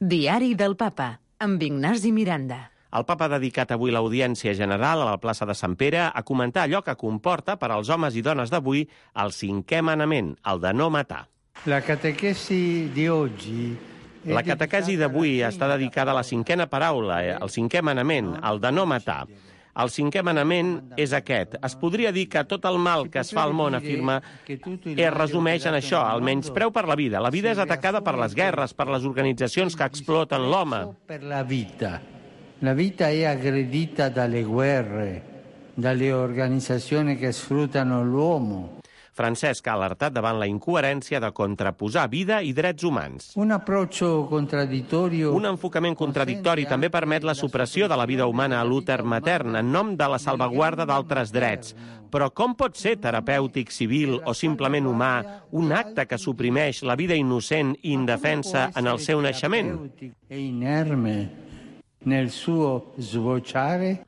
Diari del Papa, amb Ignasi Miranda. El papa ha dedicat avui l'audiència general a la plaça de Sant Pere a comentar allò que comporta per als homes i dones d'avui el 5è manament, el de no matar. La catequesi d'avui està dedicada a la 5a paraula, el 5è manament, el de no matar. El 5è manament és aquest. Es podria dir que tot el mal que es fa al món, afirma, es resumeix en això, el menyspreu per la vida. La vida és atacada per les guerres, per les organitzacions que exploten l'home. La vita è aggredita dalle guerre, dalle organizzazioni che sfruttano l'uomo. Francesc ha alertat davant la incoherència de contraposar vida i drets humans. Un enfocament contradictori també permet la supressió de la vida humana a l'úter matern en nom de la salvaguarda d'altres drets. Però com pot ser terapèutic, civil o simplement humà un acte que suprimeix la vida innocent i indefensa en el seu naixement? Nel suo sbocciare.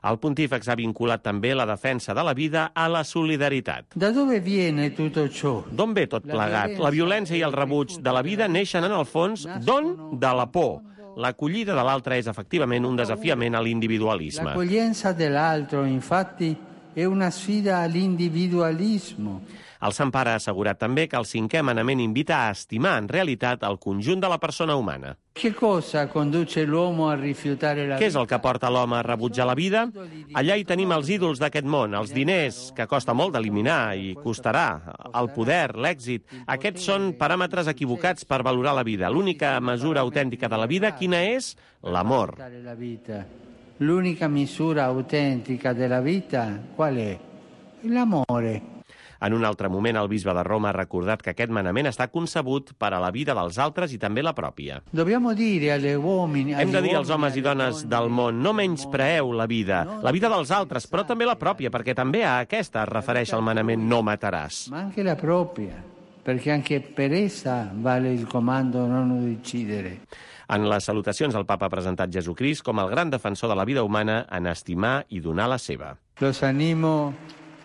El pontífex ha vinculat també la defensa de la vida a la solidaritat. Da dove viene tutto ciò? D'on ve tot plegat? La violència i el rebuig de la vida neixen en el fons d'on? De la por. L'acollida de l'altre és efectivament un desafiament a l'individualisme. L'accoglienza dell'altro, infatti, è una sfida all'individualismo. El Sant Pare ha assegurat també que el 5è manament invita a estimar en realitat el conjunt de la persona humana. Che cosa conduce l'uomo a rifiutare la vita? Què és el que porta l'home a rebutjar la vida? Allà hi tenim els ídols d'aquest món, els diners, que costa molt d'eliminar i costarà, el poder, l'èxit. Aquests són paràmetres equivocats per valorar la vida. L'única mesura autèntica de la vida, quina és? L'amor. L'unica misura autentica della vita, qual è? L'amore. En un altre moment, el bisbe de Roma ha recordat que aquest manament està concebut per a la vida dels altres i també la pròpia. Hem de dir als homes i dones del món, no menyspreeu la vida dels altres, però també la pròpia, perquè també a aquesta es refereix el manament no mataràs. Ma anche la propria, perché anche per essa vale il comando non uccidere. En les salutacions, el papa ha presentat Jesucrist com el gran defensor de la vida humana en estimar i donar la seva. Los animo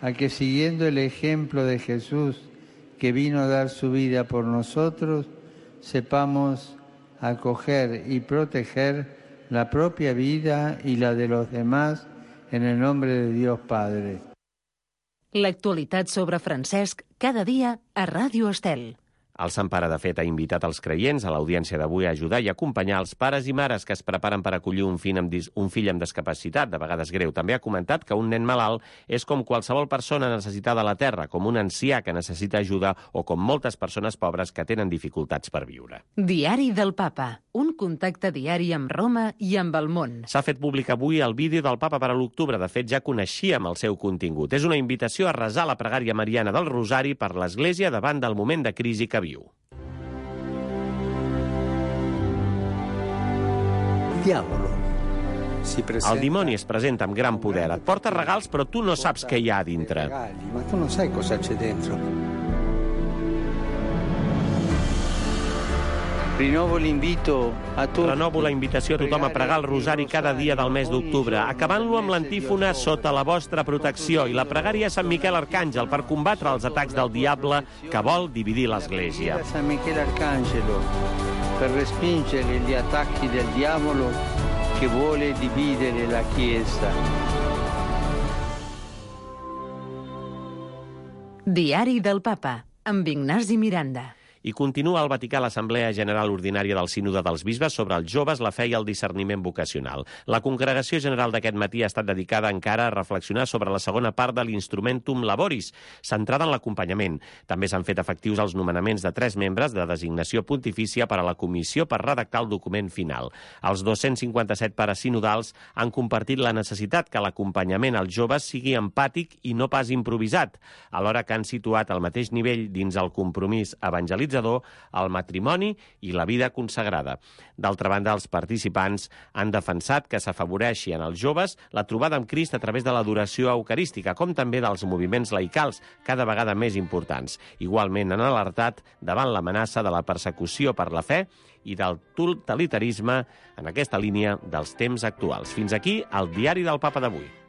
a que siguiendo el ejemplo de Jesús, que vino a dar su vida por nosotros, sepamos acoger y proteger la propia vida y la de los demás en el nombre de Dios Padre. L'actualitat sobre Francesc cada dia a Ràdio Estel. El Sant Pare, de fet, ha invitat els creients a l'audiència d'avui a ajudar i acompanyar els pares i mares que es preparen per acollir un fill amb discapacitat, de vegades greu. També ha comentat que un nen malalt és com qualsevol persona necessitada a la Terra, com un ancià que necessita ajuda o com moltes persones pobres que tenen dificultats per viure. Diari del Papa, un contacte diari amb Roma i amb el món. S'ha fet públic avui el vídeo del Papa per a l'octubre. De fet, ja coneixíem el seu contingut. És una invitació a resar la pregària mariana del Rosari per l'Església davant del moment de crisi que viu. El dimoni es presenta amb gran poder. Et porta regals, però tu no saps què hi ha a dintre. Ma tu non sai cosa c'è dentro. Renovo la invitació a tothom a pregar el rosari cada dia del mes d'octubre, acabant-lo amb l'antífona sota la vostra protecció i la pregària a Sant Miquel Arcàngel per combatre els atacs del diable que vol dividir l'Església. San Michele Arcangelo per respingere gli attacchi del diavolo che vuole dividere la Chiesa. Diari del Papa, amb Ignasi Miranda. I continua al Vaticà l'Assemblea General Ordinària del Sínode dels Bisbes sobre els joves, la fe i el discerniment vocacional. La congregació general d'aquest matí ha estat dedicada encara a reflexionar sobre la segona part de l'Instrumentum Laboris, centrada en l'acompanyament. També s'han fet efectius els nomenaments de 3 membres de designació pontifícia per a la comissió per redactar el document final. Els 257 pares sinodals han compartit la necessitat que l'acompanyament als joves sigui empàtic i no pas improvisat, alhora que han situat al mateix nivell dins el compromís evangelitzador el matrimoni i la vida consagrada. D'altra banda, els participants han defensat que s'afavoreixi en els joves la trobada amb Crist a través de l'adoració eucarística, com també dels moviments laicals, cada vegada més importants. Igualment han alertat davant l'amenaça de la persecució per la fe i del totalitarisme en aquesta línia dels temps actuals. Fins aquí el Diari del Papa d'avui.